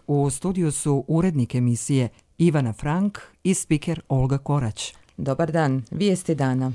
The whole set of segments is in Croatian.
U studiju su urednik emisije Ivana Frank i spiker Olga Korać. Dobar dan, vijesti dana.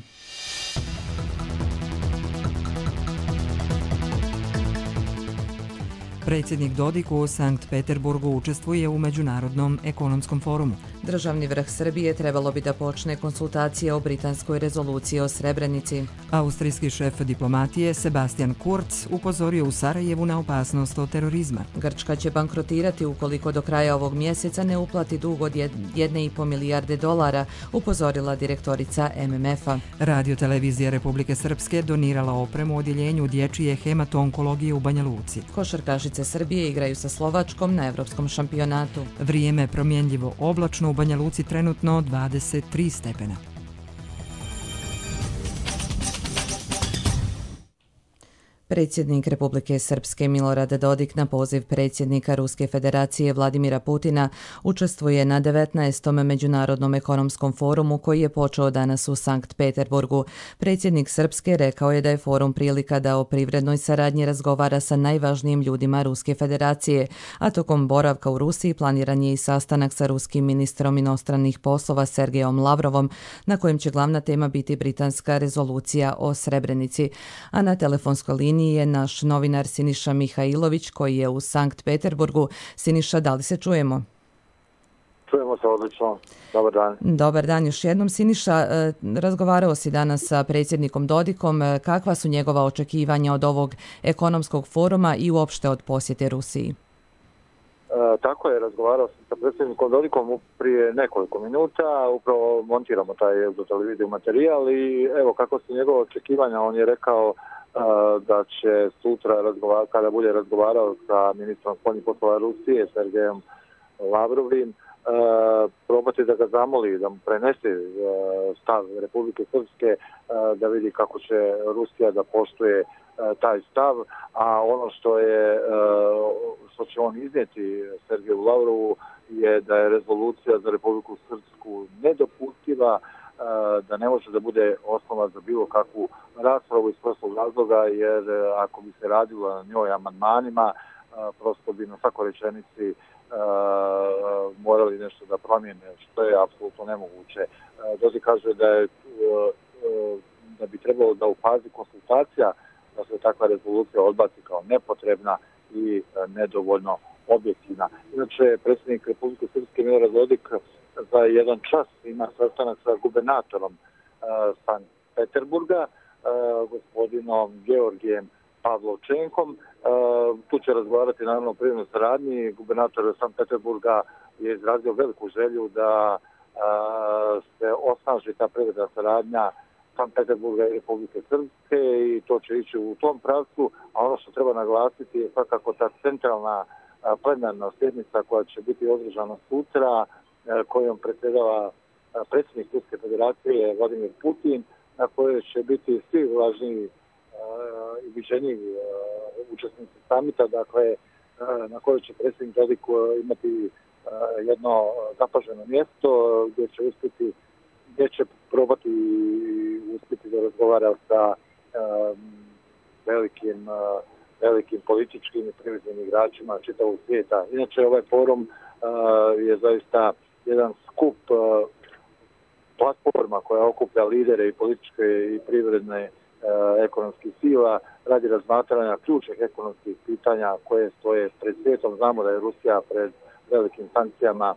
Predsjednik Dodik u Sankt Peterburgu učestvuje u Međunarodnom ekonomskom forumu. Državni vrh Srbije trebalo bi da počne konsultacije o britanskoj rezoluciji o Srebrenici. Austrijski šef diplomatije Sebastian Kurz upozorio u Sarajevu na opasnost od terorizma. Grčka će bankrotirati ukoliko do kraja ovog mjeseca ne uplati dug od 1,5 milijarde dolara, upozorila direktorica MMF-a. Radiotelevizija Republike Srpske donirala opremu odjeljenju dječje hemato-onkologije u Banja Luci. Košarkašice Srbije igraju sa Slovačkom na evropskom šampionatu. Vrijeme promjenljivo oblačno, u Banja Luci trenutno 23 stepena. Predsjednik Republike Srpske Milorad Dodik na poziv predsjednika Ruske federacije Vladimira Putina učestvuje na 19. Međunarodnom ekonomskom forumu koji je počeo danas u Sankt Peterburgu. Predsjednik Srpske rekao je da je forum prilika da o privrednoj saradnji razgovara sa najvažnijim ljudima Ruske federacije, a tokom boravka u Rusiji planiran je i sastanak sa ruskim ministrom inostranih poslova Sergejom Lavrovom, na kojem će glavna tema biti britanska rezolucija o Srebrenici. A na telefonskoj liniji je naš novinar Siniša Mihajlović koji je u Sankt Peterburgu. Siniša, da li se čujemo? Čujemo se odlično. Dobar dan. Dobar dan još jednom. Siniša, razgovarao si danas sa predsjednikom Dodikom. Kakva su njegova očekivanja od ovog ekonomskog foruma i uopšte od posjete Rusiji? Tako je, razgovarao sam sa predsjednikom Dodikom prije nekoliko minuta, upravo montiramo taj za televiziju materijal i evo kako su njegove očekivanja, on je rekao da će sutra, kada bude razgovarao sa ministrom spoljnih poslova Rusije, Sergejom Lavrovim, probati da ga zamoli, da mu prenese stav Republike Srpske, da vidi kako će Rusija da poštuje taj stav, a ono što će on iznijeti Sergeju Lavrovu je da je rezolucija za Republiku Srpsku nedopustiva, da ne može da bude osnova za bilo kakvu raspravu iz prostog razloga, jer ako bi se radilo na njoj amandmanima, prosto bi na svakoj rečenici morali nešto da promijene, što je apsolutno nemoguće. Dodik kaže da bi trebalo da u fazi konsultacija da se takva rezolucija odbaci kao nepotrebna i nedovoljno objektivna. Inače, predsjednik Republike Srpske Milorad Dodik za jedan čas ima sastanak sa gubernatorom Sankt Peterburga, gospodinom Georgijem Pavlovčenkom. Tu će razgovarati naravno o privrednoj saradnji. Gubernator Sankt Peterburga je izrazio veliku želju da se osnaži ta privredna saradnja Sankt Peterburga i Republike Srpske i to će ići u tom pravcu, a ono što treba naglasiti je svakako ta centralna plenarna sjednica koja će biti održana sutra, kojom predsjedava predsjednik Ruske federacije Vladimir Putin, na kojoj će biti svi važniji i viđeniji učesnici samita, dakle na kojoj će predsjednik Dodik imati jedno zapaženo mjesto gdje će probati uspjeti da razgovara sa velikim političkim i privrednim igračima čitavog svijeta. Inače, ovaj forum je zaista jedan skup platforma koja okuplja lidere i političke i privredne ekonomskih sila radi razmatranja ključnih ekonomskih pitanja koje stoje pred svijetom. Znamo da je Rusija pred velikim sankcijama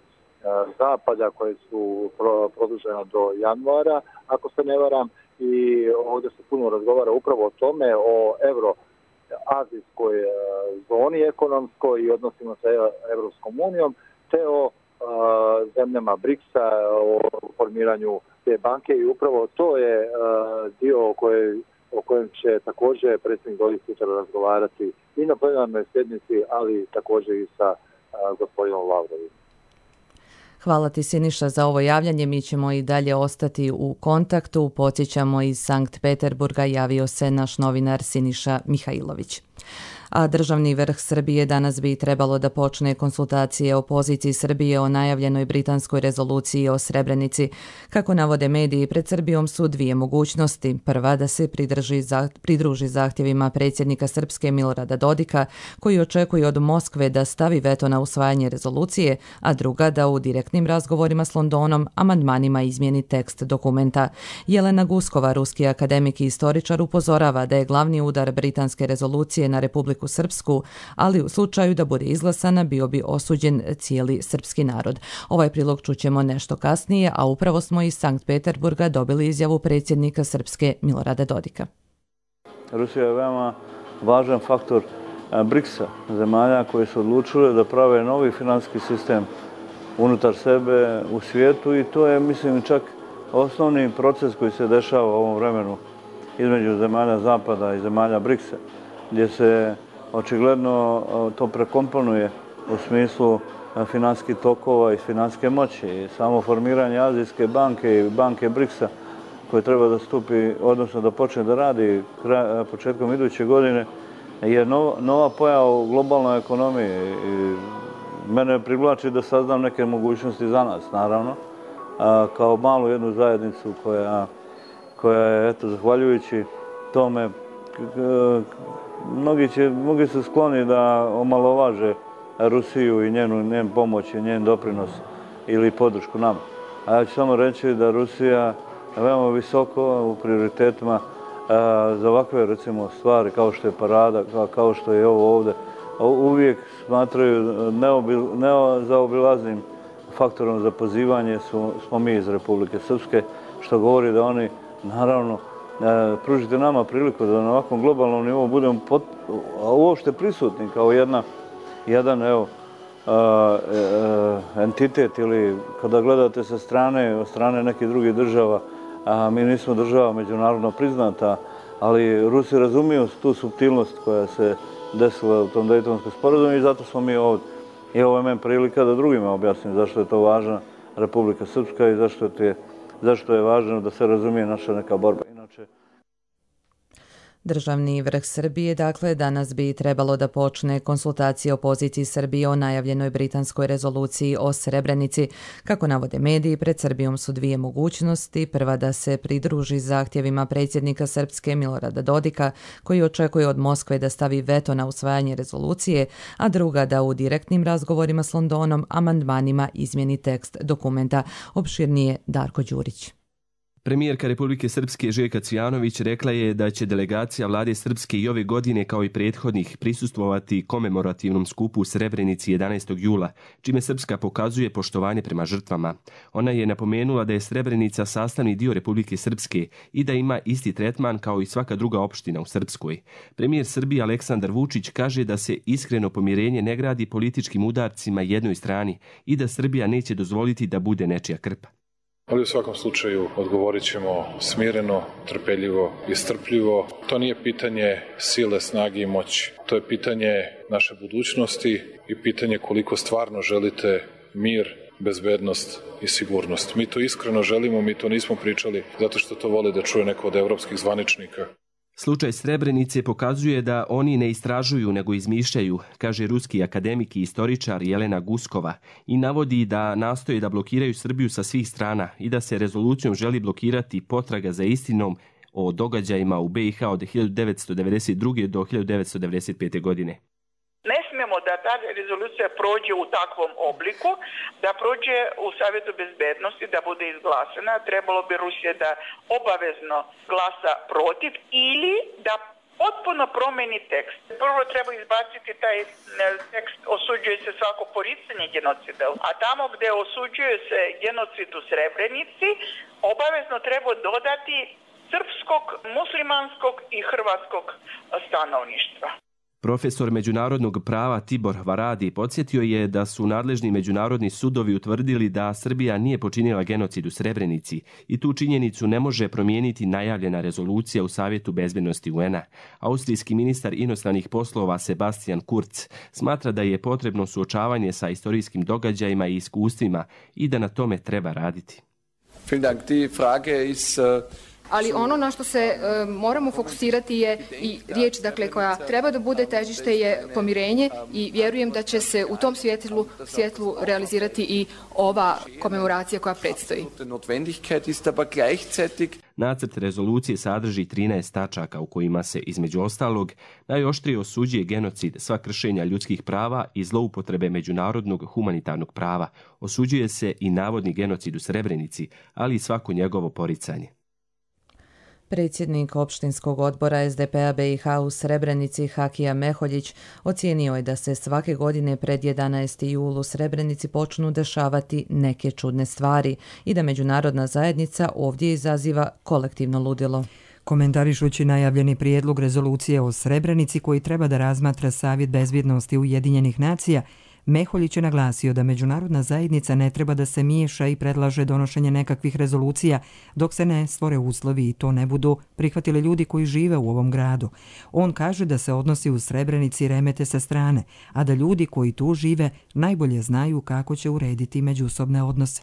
Zapada koje su produžene do januara, ako se ne varam, i ovdje se puno razgovara upravo o tome, o euroazijskoj zoni ekonomskoj i odnosima sa Evropskom unijom, te o zemljama BRICS-a, o formiranju te banke i upravo to je dio o kojem će također predsjednik Dodik sutra razgovarati i na plenarnoj sjednici, ali također i sa gospodinom Lavrovim. Hvala ti, Siniša, za ovo javljanje. Mi ćemo i dalje ostati u kontaktu. Podsjećamo, iz Sankt Peterburga javio se naš novinar Siniša Mihajlović. a državni vrh Srbije danas bi trebalo da počne konsultacije o poziciji Srbije o najavljenoj britanskoj rezoluciji o Srebrenici. Kako navode mediji, pred Srbijom su dvije mogućnosti. Prva, da se pridruži zahtjevima predsjednika Srpske Milorada Dodika, koji očekuje od Moskve da stavi veto na usvajanje rezolucije, a druga, da u direktnim razgovorima s Londonom amandmanima izmijeni tekst dokumenta. Jelena Guskova, ruski akademik i istoričar, upozorava da je glavni udar britanske rezolucije na Republiku Srpsku, ali u slučaju da bude izglasana bio bi osuđen cijeli srpski narod. Ovaj prilog čućemo nešto kasnije, a upravo smo iz Sankt Peterburga dobili izjavu predsjednika Srpske Milorada Dodika. Rusija je veoma važan faktor BRICS-a, zemalja koje su odlučile da prave novi financijski sistem unutar sebe u svijetu i to je, mislim, čak osnovni proces koji se dešava u ovom vremenu između zemalja Zapada i zemalja BRICS-a, gdje se očigledno to prekomponuje u smislu financijskih tokova i financijske moći. I samo formiranje Azijske banke i banke BRICS-a koje treba da stupi, odnosno da počne da radi početkom iduće godine, je nova pojava u globalnoj ekonomiji. Mene privlači da saznam neke mogućnosti za nas, naravno, kao malu jednu zajednicu koja je, eto, zahvaljujući tome, mnogi su skloni da omalovaže Rusiju i njen pomoć i njen doprinos ili podršku nama. A ja ću samo reći da Rusija veoma visoko u prioritetima za ovakve, recimo, stvari kao što je parada, kao što je ovo ovdje, uvijek smatraju nezaobilaznim faktorom za pozivanje smo mi iz Republike Srpske, što govori da oni, naravno, pružite nama priliku da na ovakvom globalnom nivou budemo uopšte prisutni kao jedan entitet, ili kada gledate sa strane, od strane nekih drugih država, mi nismo država međunarodno priznata, ali Rusi razumiju tu suptilnost koja se desila u tom Dejtonskom sporazumu i zato smo mi ovdje. I ovo je meni prilika da drugima objasnim zašto je to važna Republika Srpska i zašto je važno da se razumije naša neka borba. Inače, državni vrh Srbije, dakle, danas bi trebalo da počne konsultacije o poziciji Srbije o najavljenoj britanskoj rezoluciji o Srebrenici. Kako navode mediji, pred Srbijom su dvije mogućnosti. Prva, da se pridruži zahtjevima predsjednika Srpske Milorada Dodika, koji očekuje od Moskve da stavi veto na usvajanje rezolucije, a druga, da u direktnim razgovorima s Londonom amandmanima izmjeni tekst dokumenta. Opširnije Darko Đurić. Premijerka Republike Srpske Željka Cvijanović rekla je da će delegacija vlade Srpske i ove godine, kao i prethodnih, prisustvovati komemorativnom skupu u Srebrenici 11. jula, čime Srpska pokazuje poštovanje prema žrtvama. Ona je napomenula da je Srebrenica sastavni dio Republike Srpske i da ima isti tretman kao i svaka druga opština u Srpskoj. Premijer Srbije Aleksandar Vučić kaže da se iskreno pomirenje ne gradi političkim udarcima jednoj strani i da Srbija neće dozvoliti da bude nečija krpa. Ali u svakom slučaju odgovorit ćemo smireno, trpeljivo i strpljivo. To nije pitanje sile, snage i moći. To je pitanje naše budućnosti i pitanje koliko stvarno želite mir, bezbednost i sigurnost. Mi to iskreno želimo, mi to nismo pričali zato što to vole da čuje neko od evropskih zvaničnika. Slučaj Srebrenice pokazuje da oni ne istražuju nego izmišljaju, kaže ruski akademik i istoričar Jelena Guskova, i navodi da nastoje da blokiraju Srbiju sa svih strana i da se rezolucijom želi blokirati potraga za istinom o događajima u BiH od 1992. do 1995. godine. Ne smijemo da ta rezolucija prođe u takvom obliku, da prođe u Savjetu bezbednosti, da bude izglasana. Trebalo bi Rusija da obavezno glasa protiv ili da potpuno promeni tekst. Prvo treba izbaciti taj tekst, osuđuje se svako poricanje genocida, a tamo gdje osuđuje se genocid u Srebrenici, obavezno treba dodati srpskog, muslimanskog i hrvatskog stanovništva. Profesor međunarodnog prava Tibor Varadi podsjetio je da su nadležni međunarodni sudovi utvrdili da Srbija nije počinila genocid u Srebrenici i tu činjenicu ne može promijeniti najavljena rezolucija u Savjetu bezbednosti UN-a. Austrijski ministar inostranih poslova Sebastian Kurz smatra da je potrebno suočavanje sa istorijskim događajima i iskustvima i da na tome treba raditi. Vielen Dank. Die Frage ist ali ono na što se moramo fokusirati je i riječ dakle, koja treba da bude težište je pomirenje i vjerujem da će se u tom svjetlu realizirati i ova komemoracija koja predstoji. Nacrt rezolucije sadrži 13 tačaka u kojima se, između ostalog, najoštrije osuđuje genocid, sva kršenja ljudskih prava i zloupotrebe međunarodnog humanitarnog prava. Osuđuje se i navodni genocid u Srebrenici, ali i svako njegovo poricanje. Predsjednik opštinskog odbora SDP-a BiH u Srebrenici Hakija Meholjić ocijenio je da se svake godine pred 11. jul u Srebrenici počnu dešavati neke čudne stvari i da međunarodna zajednica ovdje izaziva kolektivno ludilo. Komentarišući najavljeni prijedlog rezolucije o Srebrenici koji treba da razmatra Savjet bezbjednosti Ujedinjenih nacija, Meholjić je naglasio da međunarodna zajednica ne treba da se miješa i predlaže donošenje nekakvih rezolucija dok se ne stvore uslovi i to ne budu prihvatili ljudi koji žive u ovom gradu. On kaže da se odnosi u Srebrenici remete sa strane, a da ljudi koji tu žive najbolje znaju kako će urediti međusobne odnose.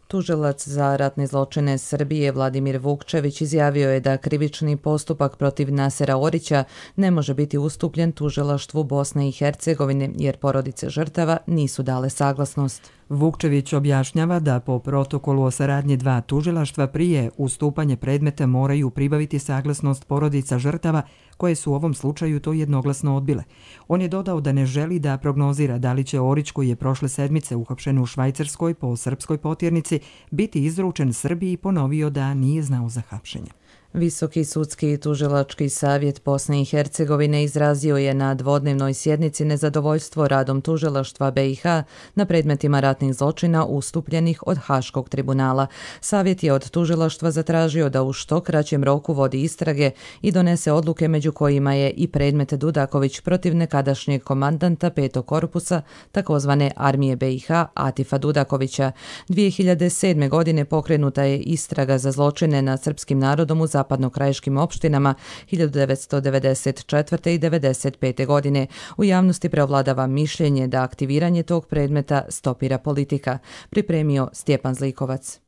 Tužilac za ratne zločine Srbije Vladimir Vukčević izjavio je da krivični postupak protiv Nasera Orića ne može biti ustupljen tužilaštvu Bosne i Hercegovine jer porodice žrtava nisu dale saglasnost. Vukčević objašnjava da po protokolu o saradnji dva tužilaštva prije ustupanje predmeta moraju pribaviti saglasnost porodica žrtava koje su u ovom slučaju to jednoglasno odbile. On je dodao da ne želi da prognozira da li će Orić, koji je prošle sedmice uhapšen u Švajcarskoj po srpskoj potjernici, biti izručen Srbiji i ponovio da nije znao za hapšenje. Visoki sudski i tužilački savjet Bosne i Hercegovine izrazio je na dvodnevnoj sjednici nezadovoljstvo radom tužilaštva BiH na predmetima ratnih zločina ustupljenih od Haškog tribunala. Savjet je od tužilaštva zatražio da u što kraćem roku vodi istrage i donese odluke među kojima je i predmet Dudaković protiv nekadašnjeg komandanta 5. korpusa takozvane armije BiH Atifa Dudakovića. 2007. godine pokrenuta je istraga za zločine nad srpskim narodom u zapadnokrajiškim opštinama 1994. i 1995. godine. U javnosti preovladava mišljenje da aktiviranje tog predmeta stopira politika. Pripremio Stjepan Zlikovac.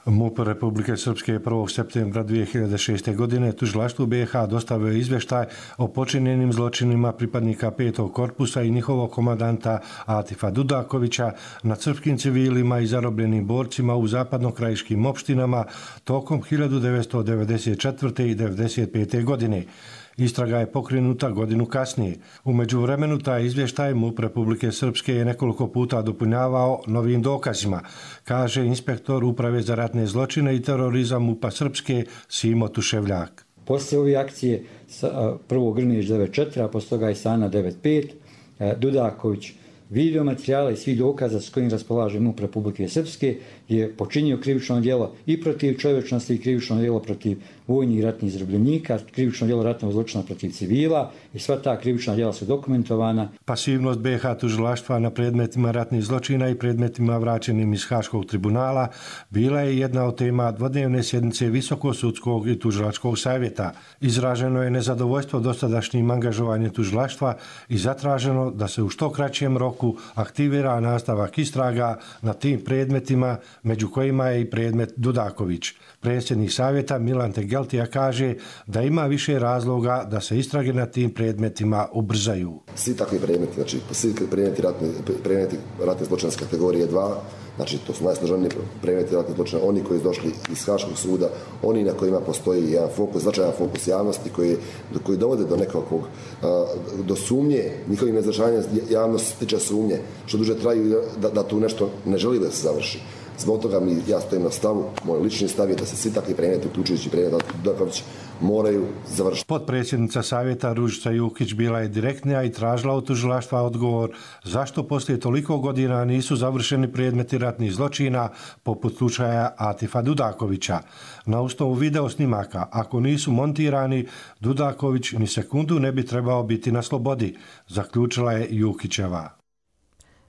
MUP Republike Srpske 1. septembra 2006. godine tužilaštvu BiH dostavio izvještaj o počinjenim zločinima pripadnika 5. korpusa i njihovog komandanta Atifa Dudakovića nad srpskim civilima i zarobljenim borcima u zapadnokrajiškim opštinama tokom 1994. i 1995. godine. Istraga je pokrenuta godinu kasnije. U međuvremenu taj izvještaj MUP Republike Srpske je nekoliko puta dopunjavao novim dokazima, kaže inspektor Uprave za ratne zločine i terorizam MUP-a Srpske Simo Tuševljak. Poslije ove akcije prvo Grmić 94, a poslije toga i Sana 95, Dudaković video materijala i svih dokaza s kojim raspolaže MUP Republike Srpske je počinio krivično djelo i protiv čovječnosti i krivično djelo protiv vojnih i ratnih zarobljenika, krivično djelo ratnog zločina protiv civila i sva ta krivična djela su dokumentovana. Pasivnost BiH tužilaštva na predmetima ratnih zločina i predmetima vraćenim iz Haškog tribunala bila je jedna od tema dvodnevne sjednice Visokosudskog i tužilačkog savjeta. Izraženo je nezadovoljstvo dosadašnjim angažovanjem tužilaštva i zatraženo da se u što kraćem roku aktivira nastavak istraga na tim predmetima, među kojima je i predmet Dudaković. Predsjednik savjeta Milan Tegeltija kaže da ima više razloga da se istrage na tim predmetima ubrzaju. Svi takvi predmeti, znači svi predmeti ratne zločina kategorije 2, znači to su najsloženiji predmeti ratne zločina, oni koji su došli iz Haškog suda, oni na kojima postoji jedan fokus, značajan fokus javnosti koji dovode do nekakvog, do sumnje, njihovim izražavanjem javnost stiče sumnje, što duže traju da tu nešto ne želi da se završi. Zbog toga ja stojim na stavu, moj lični stav je da se svi takvi predmeti, uključujući predmet Dudaković, moraju završiti. Potpredsjednica savjeta Ružica Jukić bila je direktnija i tražila od tužilaštva odgovor zašto poslije toliko godina nisu završeni predmeti ratnih zločina poput slučaja Atifa Dudakovića. Na osnovu video snimaka, ako nisu montirani, Dudaković ni sekundu ne bi trebao biti na slobodi, zaključila je Jukićeva.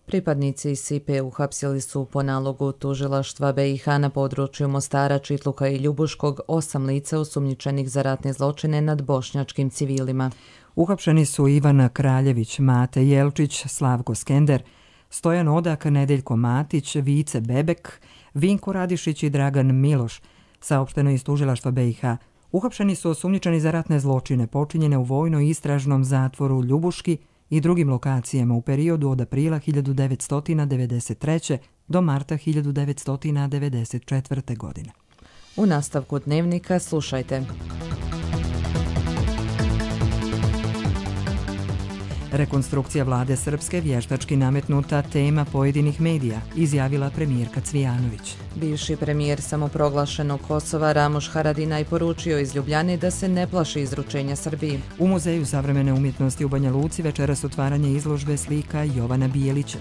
Pripadnici SIPE uhapsili su po nalogu tužilaštva BiH na području Mostara, Čitluka i Ljubuškog 8 lica osumnjičenih za ratne zločine nad bošnjačkim civilima. Uhapšeni su Ivana Kraljević, Mate Jelčić, Slavko Skender, Stojan Odak, Nedeljko Matić, Vice Bebek, Vinko Radišić i Dragan Miloš. saopšteno iz tužilaštva BiH. Uhapšeni su osumnjičeni za ratne zločine počinjene u vojno-istražnom zatvoru Ljubuški i drugim lokacijama u periodu od aprila 1993. do marta 1994. godine. U nastavku dnevnika slušajte. Rekonstrukcija vlade Srpske vještački nametnuta tema pojedinih medija, izjavila premijerka Cvijanović. Bivši premijer samoproglašenog Kosova Ramuš Haradinaj poručio iz Ljubljane da se ne plaši izručenja Srbiji. U Muzeju savremene umjetnosti u Banja Luci večeras otvaranje izložbe slika Jovana Bijelića.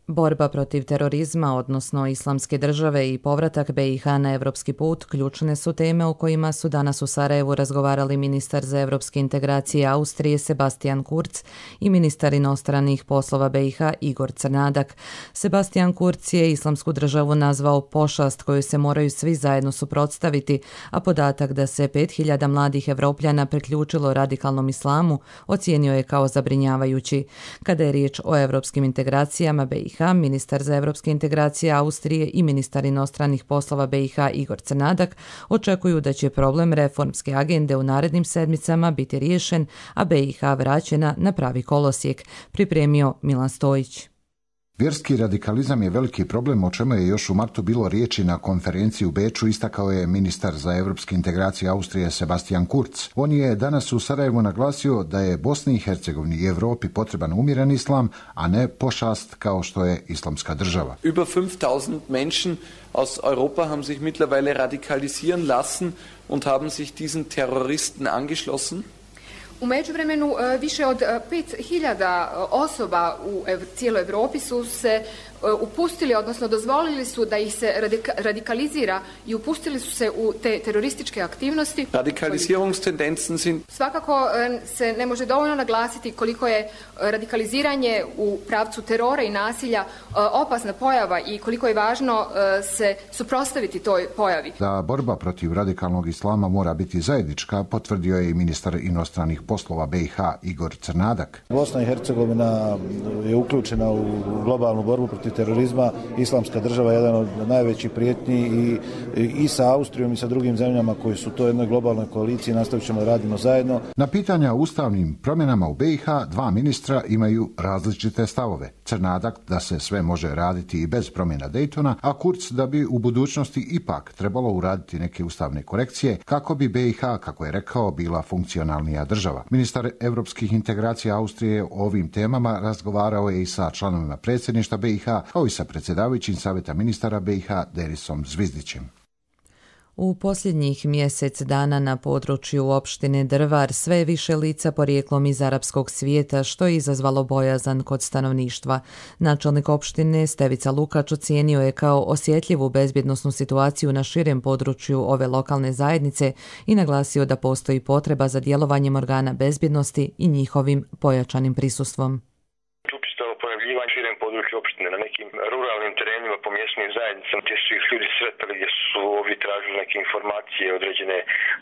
Borba protiv terorizma, odnosno islamske države i povratak BiH na evropski put ključne su teme o kojima su danas u Sarajevu razgovarali ministar za evropske integracije Austrije Sebastian Kurz i ministar inostranih poslova BiH Igor Crnadak. Sebastian Kurz je islamsku državu nazvao pošast koju se moraju svi zajedno suprotstaviti, a podatak da se 5000 mladih Evropljana priključilo radikalnom islamu ocijenio je kao zabrinjavajući. Kada je riječ o evropskim integracijama BiH, ministar za evropske integracije Austrije i ministar inostranih poslova BiH Igor Crnadak očekuju da će problem reformske agende u narednim sedmicama biti riješen, a BiH vraćena na pravi kolosijek, pripremio Milan Stojić. Vjerski radikalizam je veliki problem, o čemu je još u martu bilo riječi na konferenciji u Beču, istakao je ministar za evropske integracije Austrije Sebastian Kurz. On je danas u Sarajevu naglasio da je Bosni i Hercegovini i Evropi potreban umjeren islam, a ne pošast kao što je islamska država. Über 5000 Menschen aus Europa haben sich mittlerweile radikalisieren lassen und haben sich diesen Terroristen angeschlossen. U međuvremenu više od 5000 osoba u cijeloj Evropi su se upustili, odnosno dozvolili su da ih se radikalizira i upustili su se u te terorističke aktivnosti. Radikalisierungstendenzen sind... Svakako se ne može dovoljno naglasiti koliko je radikaliziranje u pravcu terora i nasilja opasna pojava i koliko je važno se suprotstaviti toj pojavi. Da borba protiv radikalnog islama mora biti zajednička, potvrdio je i ministar inostranih poslova BiH Igor Crnadak. Bosna i Hercegovina je uključena u globalnu borbu protiv terorizma. Islamska država je jedan od najvećih prijetnji i sa Austrijom i sa drugim zemljama koji su to jednoj globalnoj koaliciji. Nastavit ćemo da radimo zajedno. Na pitanja o ustavnim promjenama u BiH dva ministra imaju različite stavove. Crnadak da se sve može raditi i bez promjena Daytona, a Kurz da bi u budućnosti ipak trebalo uraditi neke ustavne korekcije kako bi BiH, kako je rekao, bila funkcionalnija država. Ministar evropskih integracija Austrije o ovim temama razgovarao je i sa članovima predsjedništva BiH, kao i sa predsjedavajućim savjeta ministara BiH Derisom Zvizdićem. U posljednjih mjesec dana na području opštine Drvar sve je više lica porijeklom iz arapskog svijeta, što je izazvalo bojazan kod stanovništva. Načelnik opštine Stevica Lukač ocijenio je kao osjetljivu bezbjednosnu situaciju na širem području ove lokalne zajednice i naglasio da postoji potreba za djelovanjem organa bezbjednosti i njihovim pojačanim prisustvom. Opštine na nekim ruralnim terenima po mjesnim zajednicama gdje su ih ljudi sretali, gdje su ovi tražili neke informacije, određene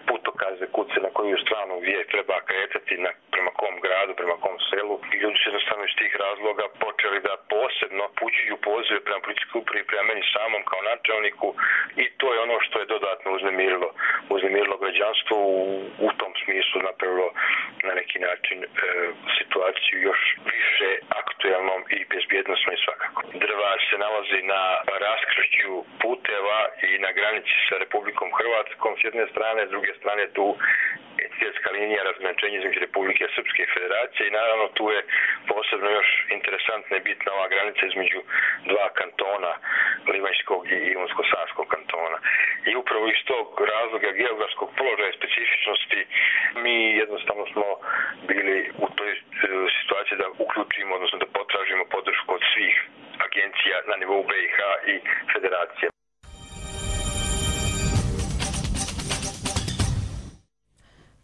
putokaze, kuce na koju stranu gdje treba kretati, prema kom gradu, prema kom selu. I ljudi su jednostavno iz tih razloga počeli da posebno pućuju pozive prema policijskoj upravi, prema meni samom kao načelniku, i to je ono što je dodatno uznemirilo građanstvo, u tom smislu napravilo na neki način situaciju još više aktuelnom i bezbjednosnom i svakako. Drvar se nalazi na raskršću puteva i na granici sa Republikom Hrvatskom s jedne strane, s druge strane tu je svjetska linija razgraničenja između Republike Srpske i Federacije i naravno tu je posebno još interesantna i bitna ova granica između dva kantona, Livanjskog i Imotsko-Sanskog kantona. I upravo iz tog razloga geografskog položaja i specifičnosti mi jednostavno smo bili u toj situaciji da uključimo, odnosno da potražimo podršku od svih agencija na nivou BiH i Federacije.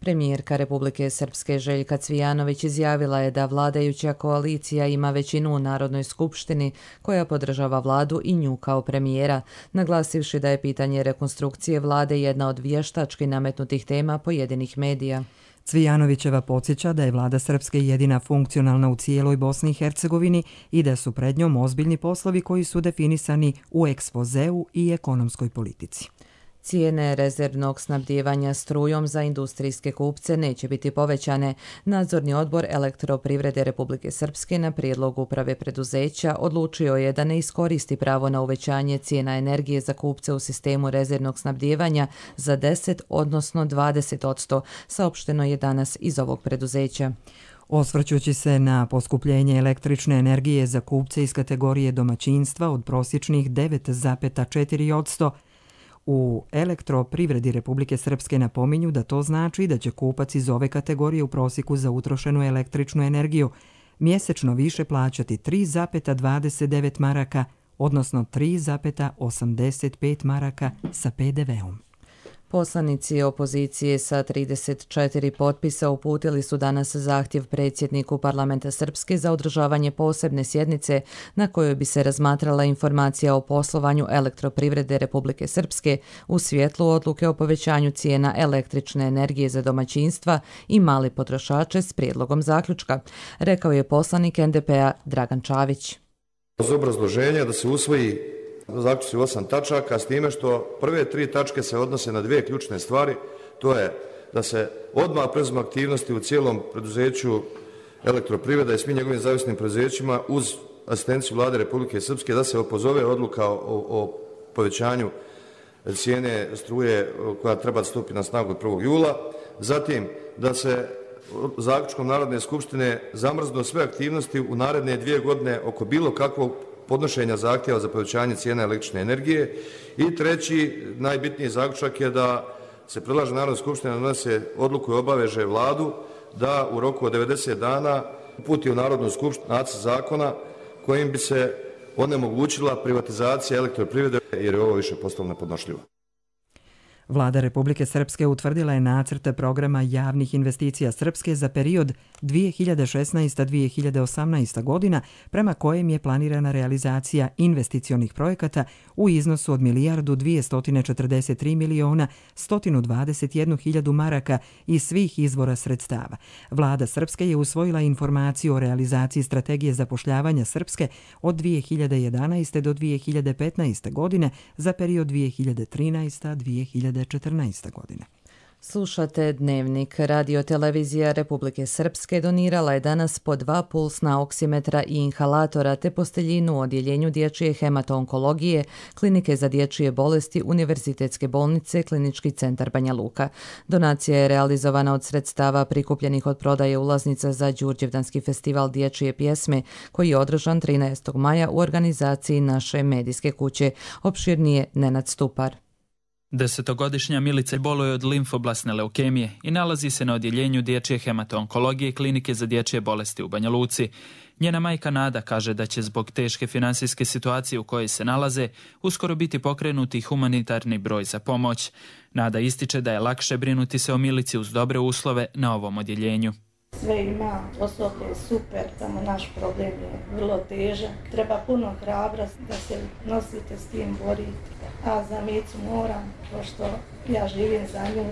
Premijerka Republike Srpske Željka Cvijanović izjavila je da vladajuća koalicija ima većinu u Narodnoj skupštini koja podržava vladu i nju kao premijera, naglasivši da je pitanje rekonstrukcije vlade jedna od vještački nametnutih tema pojedinih medija. Cvijanovićeva podsjeća da je vlada Srpske jedina funkcionalna u cijeloj Bosni i Hercegovini i da su pred njom ozbiljni poslovi koji su definisani u ekspozeu i ekonomskoj politici. Cijene rezervnog snabdijevanja strujom za industrijske kupce neće biti povećane. Nadzorni odbor Elektroprivrede Republike Srpske na prijedlog uprave preduzeća odlučio je da ne iskoristi pravo na uvećanje cijena energije za kupce u sistemu rezervnog snabdijevanja za 10, odnosno 20%, saopšteno je danas iz ovog preduzeća. Osvrćući se na poskupljenje električne energije za kupce iz kategorije domaćinstva od prosječnih 9,4%, u Elektroprivredi Republike Srpske napominju da to znači da će kupac iz ove kategorije u prosjeku za utrošenu električnu energiju mjesečno više plaćati 3,29 maraka, odnosno 3,85 maraka sa PDV-om. Poslanici opozicije sa 34 potpisa uputili su danas zahtjev predsjedniku Parlamenta Srpske za održavanje posebne sjednice na kojoj bi se razmatrala informacija o poslovanju Elektroprivrede Republike Srpske u svjetlu odluke o povećanju cijena električne energije za domaćinstva i mali potrošače s prijedlogom zaključka, rekao je poslanik NDP-a Dragan Čavić. Uz obrazloženje da se usvoji zaključci 8 tačaka, s time što prve 3 tačke se odnose na 2 ključne stvari, to je da se odmah preuzmu aktivnosti u cijelom preduzeću Elektroprivreda i svim njegovim zavisnim preduzećima uz asistenciju vlade Republike Srpske, da se opozove odluka o povećanju cijene struje koja treba da stupi na snagu od 1. jula, zatim da se zaključkom Narodne skupštine zamrznu sve aktivnosti u naredne 2 godine oko bilo kakvog podnošenja zahtjeva za povećanje cijene električne energije. I treći, najbitniji zaključak je da se predlaže Narodna skupština da donese odluku i obaveže vladu da u roku od 90 dana uputi u Narodnu skupštinu nacrt zakona kojim bi se onemogućila privatizacija Elektroprivrede jer je ovo više postalo nepodnošljivo. Vlada Republike Srpske utvrdila je nacrt programa javnih investicija Srpske za period 2016-2018 godina, prema kojem je planirana realizacija investicionih projekata u iznosu od 1.243.121.000 maraka iz svih izvora sredstava. Vlada Srpske je usvojila informaciju o realizaciji strategije zapošljavanja Srpske od 2011. do 2015. godine za period 2013-2014. godine. Slušate Dnevnik. Radiotelevizija Republike Srpske donirala je danas po 2 pulsna oksimetra i inhalatora te posteljinu u odjeljenju dječje hemato-onkologije, Klinike za dječje bolesti Univerzitetske bolnice Klinički centar Banja Luka. Donacija je realizovana od sredstava prikupljenih od prodaje ulaznica za Đurđevdanski festival dječje pjesme koji je održan 13. maja u organizaciji naše medijske kuće. Opširnije Nenad Stupar. 10-godišnja Milica boluje od limfoblasne leukemije i nalazi se na odjeljenju dječje hemato-onkologije Klinike za dječje bolesti u Banja Luci. Njena majka Nada kaže da će zbog teške financijske situacije u kojoj se nalaze uskoro biti pokrenuti humanitarni broj za pomoć. Nada ističe da je lakše brinuti se o Milici uz dobre uslove na ovom odjeljenju. Sve ima, osoblje je super, samo naš problem je vrlo težak. Treba puno hrabrosti da se nosite s tim, borite. A za Micu moram, pošto ja živim za nju,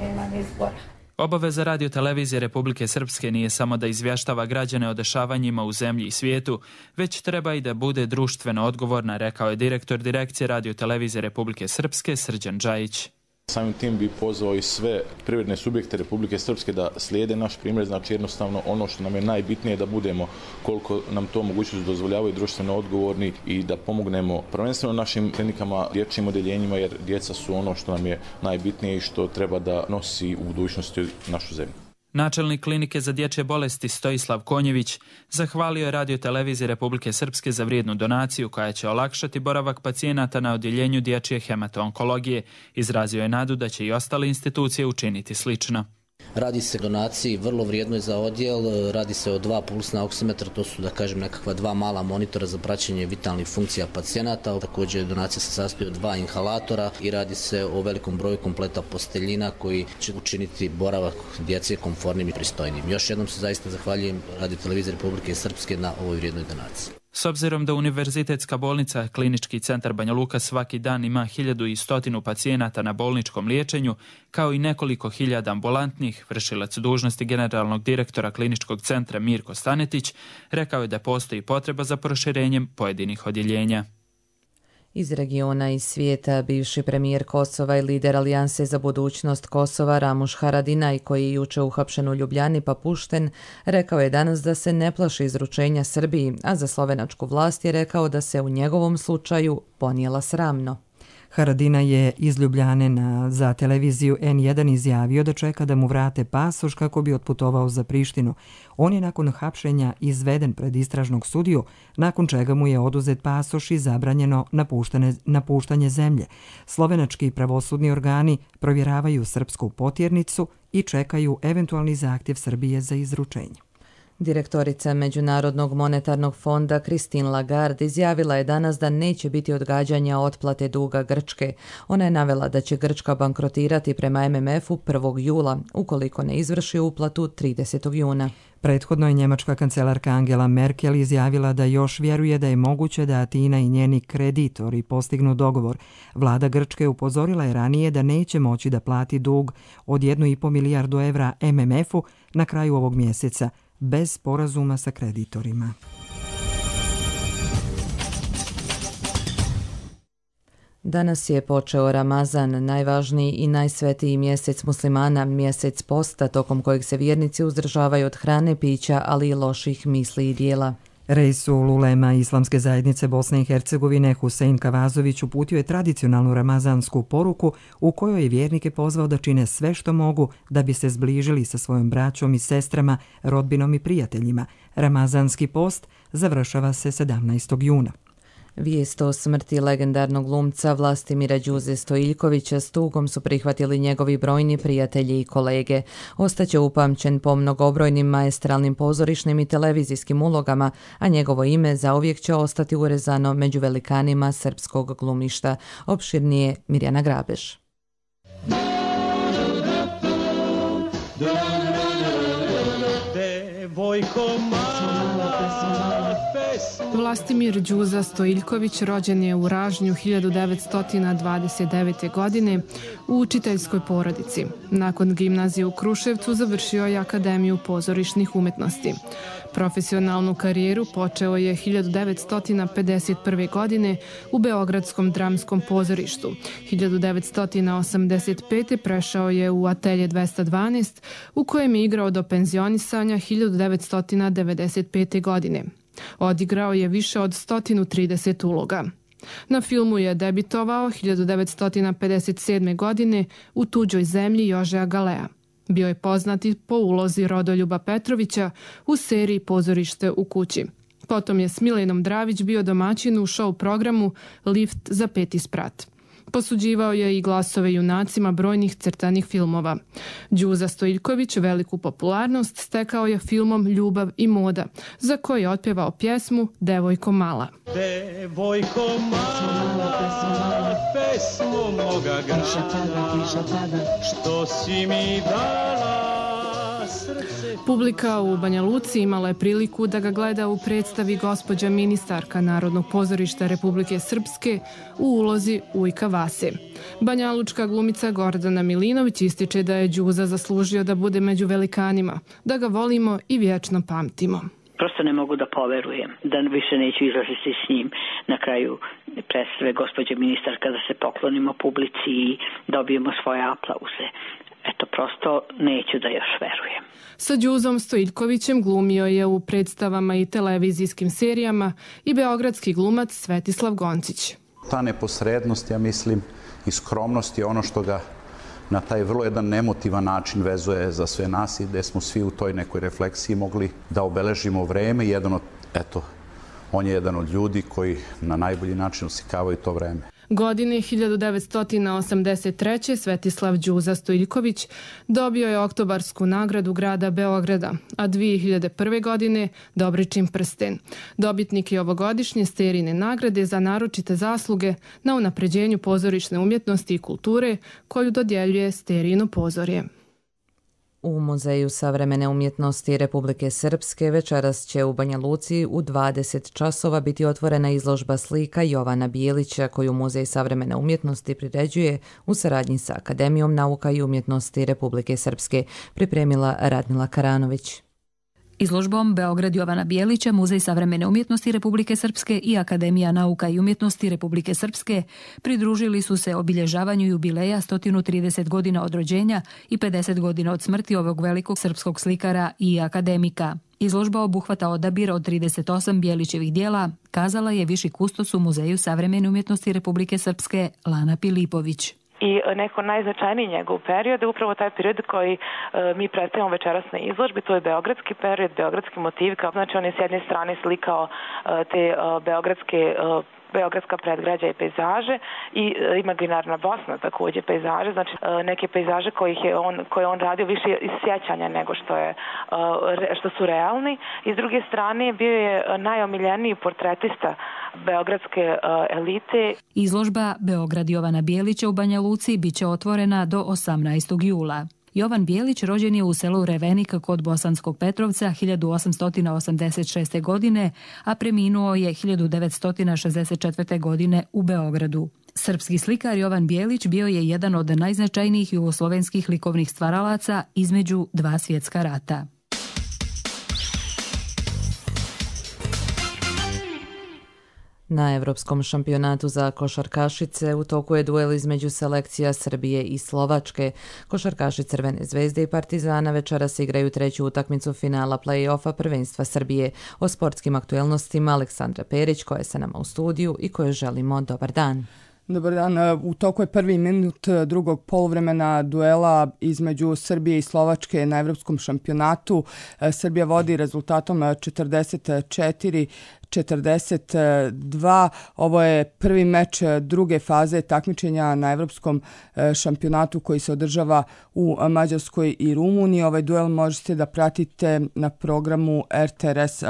nemam izbora. Obaveza Radiotelevizije Republike Srpske nije samo da izvještava građane o dešavanjima u zemlji i svijetu, već treba i da bude društveno odgovorna, rekao je direktor direkcije Radiotelevizije Republike Srpske Srđan Džajić. Samim tim bi pozvao i sve privredne subjekte Republike Srpske da slijede naš primjer, znači jednostavno ono što nam je najbitnije da budemo, koliko nam to mogućnost dozvoljavaju, društveno odgovorni i da pomognemo prvenstveno našim klinikama, dječjim odjeljenjima, jer djeca su ono što nam je najbitnije i što treba da nosi u budućnosti našu zemlju. Načelnik Klinike za dječje bolesti Stojislav Konjević zahvalio je Radioteleviziji Republike Srpske za vrijednu donaciju koja će olakšati boravak pacijenata na odjeljenju dječje hemato-onkologije. Izrazio je nadu da će i ostale institucije učiniti slično. Radi se o donaciji vrlo vrijednoj za odjel, radi se o 2 pulsna oksimetra, to su da kažem nekakva 2 mala monitora za praćenje vitalnih funkcija pacijenata. Također donacija se sastoji od 2 inhalatora i radi se o velikom broju kompleta posteljina koji će učiniti boravak djece komfornim i pristojnim. Još jednom se zaista zahvaljujem Radioteleviziji Republike Srpske na ovoj vrijednoj donaciji. S obzirom da Univerzitetska bolnica Klinički centar Banja Luka svaki dan ima 1100 pacijenata na bolničkom liječenju, kao i nekoliko hiljada ambulantnih, vršilac dužnosti generalnog direktora Kliničkog centra Mirko Stanetić rekao je da postoji potreba za proširenjem pojedinih odjeljenja. Iz regiona i svijeta, bivši premijer Kosova i lider Alijanse za budućnost Kosova Ramuš Haradinaj, koji je juče uhapšen u Ljubljani pa pušten, rekao je danas da se ne plaši izručenja Srbiji, a za slovenačku vlast je rekao da se u njegovom slučaju ponijela sramno. Haradinaj je iz Ljubljane za televiziju N1 izjavio da čeka da mu vrate pasoš kako bi otputovao za Prištinu. On je nakon hapšenja izveden pred istražnog sudiju, nakon čega mu je oduzet pasoš i zabranjeno napuštanje zemlje. Slovenački pravosudni organi provjeravaju srpsku potjernicu i čekaju eventualni zahtjev Srbije za izručenje. Direktorica Međunarodnog monetarnog fonda Christine Lagarde izjavila je danas da neće biti odgađanja otplate duga Grčke. Ona je navela da će Grčka bankrotirati prema MMF-u 1. jula, ukoliko ne izvrši uplatu 30. juna. Prethodno je njemačka kancelarka Angela Merkel izjavila da još vjeruje da je moguće da Atina i njeni kreditori postignu dogovor. Vlada Grčke upozorila je ranije da neće moći da plati dug od 1,5 milijardu evra MMF-u na kraju ovog mjeseca, bez sporazuma sa kreditorima. Danas je počeo Ramazan, najvažniji i najsvetiji mjesec muslimana, mjesec posta tokom kojeg se vjernici uzdržavaju od hrane, pića, ali i loših misli i dijela. Reisul ulema Islamske zajednice Bosne i Hercegovine Husein Kavazović uputio je tradicionalnu ramazansku poruku u kojoj je vjernike pozvao da čine sve što mogu da bi se zbližili sa svojom braćom i sestrama, rodbinom i prijateljima. Ramazanski post završava se 17. juna. Vijest o smrti legendarnog glumca Vlastimira Đuze Stojiljkovića s tugom su prihvatili njegovi brojni prijatelji i kolege. Ostaće upamćen po mnogobrojnim maestralnim pozorišnim i televizijskim ulogama, a njegovo ime zauvijek će ostati urezano među velikanima srpskog glumišta. Opširnije Mirjana Grabeš. Vlastimir Đuza Stojiljković rođen je u Ražnju 1929. godine u učiteljskoj porodici. Nakon gimnazije u Kruševcu završio je Akademiju pozorišnih umetnosti. Profesionalnu karijeru počeo je 1951. godine u Beogradskom dramskom pozorištu. 1985. prešao je u Atelje 212, u kojem je igrao do penzionisanja 1995. godine. Odigrao je više od 130 uloga. Na filmu je debitovao 1957. godine u Tuđoj zemlji Jožea Galea. Bio je poznati po ulozi Rodoljuba Petrovića u seriji Pozorište u kući. Potom je s Milenom Dravić bio domaćin u show programu Lift za 5. sprat. Posuđivao je i glasove junacima brojnih crtanih filmova. Đuza Stojiljković veliku popularnost stekao je filmom Ljubav i moda, za koji je otpjevao pjesmu Devojko mala. Devojko mala, pesmo moga grada, što si mi dala. Publika u Banja Luci imala je priliku da ga gleda u predstavi gospođa ministarka Narodnog pozorišta Republike Srpske u ulozi Ujka Vase. Banjalučka glumica Gordana Milinović ističe da je Đuza zaslužio da bude među velikanima, da ga volimo i vječno pamtimo. Prosto ne mogu da poverujem da više neću izlaziti s njim na kraju predstave gospođe ministarka, da se poklonimo publici i dobijemo svoje aplauze. Eto, prosto neću da još verujem. Sa Đuzom Stojiljkovićem glumio je u predstavama i televizijskim serijama i beogradski glumac Svetislav Goncić. Ta neposrednost, ja mislim, i skromnost je ono što ga na taj vrlo jedan nemotivan način vezuje za sve nas i gde smo svi u toj nekoj refleksiji mogli da obeležimo vreme. On je jedan od ljudi koji na najbolji način osikavaju to vreme. Godine 1983. Svetislav Đuza Stojiljković dobio je Oktobarsku nagradu grada Beograda, a 2001. godine Dobričin prsten. Dobitnik je ovogodišnje serijne nagrade za naročite zasluge na unapređenju pozorišne umjetnosti i kulture koju dodjeljuje Sterijino pozorje. U Muzeju savremene umjetnosti Republike Srpske večeras će u Banja Luci u 20 časova biti otvorena izložba slika Jovana Bijelića koju Muzej savremene umjetnosti priređuje u saradnji sa Akademijom nauka i umjetnosti Republike Srpske, pripremila Radmila Karanović. Izložbom Beograd Jovana Bijelića, Muzej savremene umjetnosti Republike Srpske i Akademija nauka i umjetnosti Republike Srpske pridružili su se obilježavanju jubileja 130 godina od rođenja i 50 godina od smrti ovog velikog srpskog slikara i akademika. Izložba obuhvata odabir od 38 Bijelićevih dijela, kazala je viši kustos u Muzeju savremene umjetnosti Republike Srpske Lana Pilipović. I neko najznačajniji njegov period je upravo taj period koji mi predstavljamo večeras na izložbi, to je beogradski period, beogradski motiv, znači on je s jedne strane slikao te beogradska predgrađa i pejzaže i imaginarna Bosna također pejzaže, znači neke pejzaže koje on radio više iz sjećanja nego što su realni. I s druge strane bio je najomiljeniji portretista beogradske elite. Izložba Beograd Jovana Bijelića u Banja Luci biće otvorena do 18. jula. Jovan Bijelić rođen je u selu Revenik kod Bosanskog Petrovca 1886. godine, a preminuo je 1964. godine u Beogradu. Srpski slikar Jovan Bijelić bio je jedan od najznačajnijih jugoslovenskih likovnih stvaralaca između dva svjetska rata. Na Evropskom šampionatu za košarkašice u toku je duel između selekcija Srbije i Slovačke. Košarkaši Crvene zvezde i Partizana večeras igraju treću utakmicu finala play-offa prvenstva Srbije. O sportskim aktuelnostima Aleksandra Perić, koja je sa nama u studiju i kojoj želimo dobar dan. Dobar dan. U toku je prvi minut drugog poluvremena duela između Srbije i Slovačke na Evropskom šampionatu. Srbija vodi rezultatom 44-42. Ovo je prvi meč druge faze takmičenja na Evropskom šampionatu koji se održava u Mađarskoj i Rumuniji. Ovaj duel možete da pratite na programu RTRS+.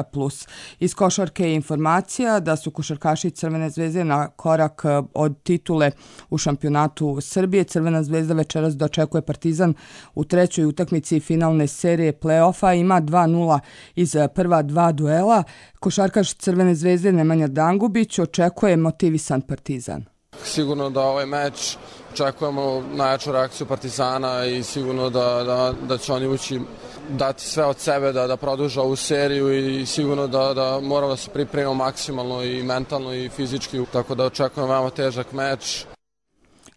Iz košarke je informacija da su košarkaši Crvene zvezde na korak od titule u šampionatu Srbije. Crvena zvezda večeras dočekuje Partizan u trećoj utakmici finalne serije play-offa. Ima 2-0 iz prva dva duela. Košarkaš Crvene zvezde Nemanja Dangubić očekuje motivisan Partizan. Sigurno da ovaj meč očekujemo najjaču reakciju Partizana i sigurno da će oni ući dati sve od sebe da produže ovu seriju i sigurno da moramo da se pripremimo maksimalno i mentalno i fizički, tako da očekujemo veoma težak meč.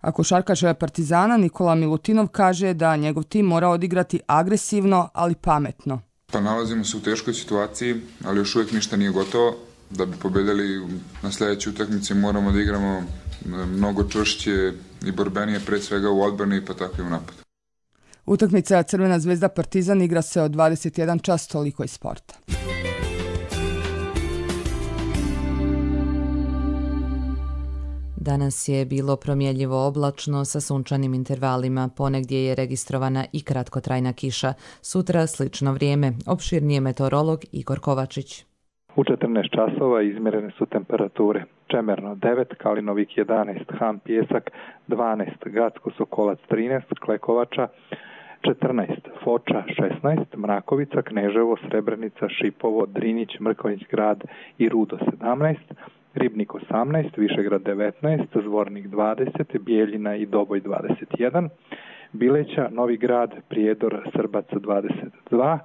A košarkaš Partizana Nikola Milutinov kaže da njegov tim mora odigrati agresivno, ali pametno. Pa nalazimo se u teškoj situaciji, ali još uvijek ništa nije gotovo. Da bi pobedili na sljedećoj utakmici moramo da igramo mnogo čvršće i borbenije, pre svega u odbrani pa tako i u napadu. Utakmica Crvena zvezda Partizan igra se od 21 čas, toliko iz sporta. Danas je bilo promjenjivo oblačno sa sunčanim intervalima, ponegdje je registrovana i kratkotrajna kiša. Sutra slično vrijeme, opširnije meteorolog Igor Kovačić. U 14 časova izmjerene su temperature. Čemerno 9, Kalinovik 11, Han Pjesak 12, Gacko Sokolac 13, Klekovača 14, Foča 16, Mrakovica, Kneževo, Srebrenica, Šipovo, Drinić, Mrkonjić grad i Rudo 17, Ribnik 18, Višegrad 19, Zvornik 20, Bijeljina i Doboj 21, Bileća, Novi grad, Prijedor, Srbac 22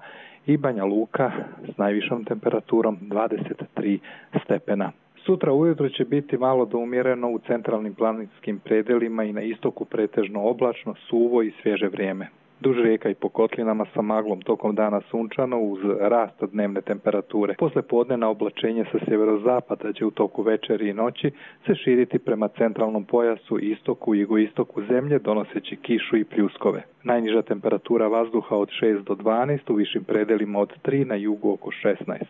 i Banja Luka s najvišom temperaturom 23 stepena. Sutra ujutro će biti malo do umjereno u centralnim planinskim predelima i na istoku pretežno oblačno, suvo i svježe vrijeme. Duž rijeka i po kotlinama sa maglom tokom dana sunčano uz rast dnevne temperature. Posle podnevna oblačenje sa sjeverozapada će u toku večeri i noći se širiti prema centralnom pojasu, istoku i jugoistoku zemlje, donoseći kišu i pljuskove. Najniža temperatura vazduha od 6 do 12, u višim predelima od 3, na jugu oko 16.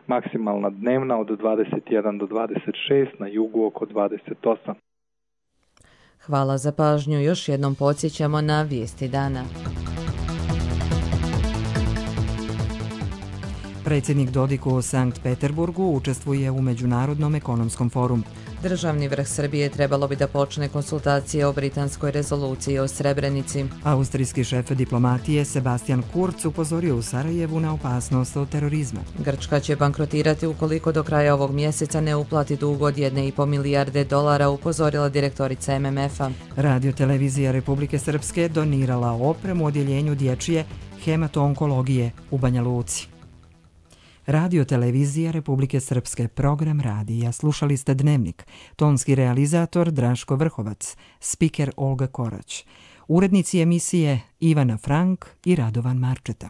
Maksimalna dnevna od 21 do 26, na jugu oko 28. Hvala za pažnju. Još jednom podsjećamo na vijesti dana. Predsjednik Dodik u Sankt Peterburgu učestvuje u Međunarodnom ekonomskom forumu. Državni vrh Srbije trebalo bi da počne konsultacije o britanskoj rezoluciji o Srebrenici. Austrijski šef diplomatije Sebastian Kurz upozorio u Sarajevu na opasnost od terorizma. Grčka će bankrotirati ukoliko do kraja ovog mjeseca ne uplati dug od 1,5 milijarde dolara, upozorila direktorica MMF-a. Radio-televizija Republike Srpske donirala opremu odjeljenju dječje hemato-onkologije u Banja Luci. Radio-televizija Republike Srpske, program radija. Slušali ste Dnevnik. Tonski realizator Draško Vrhovac, spiker Olga Korać. Urednici emisije Ivana Frank i Radovan Marčeta.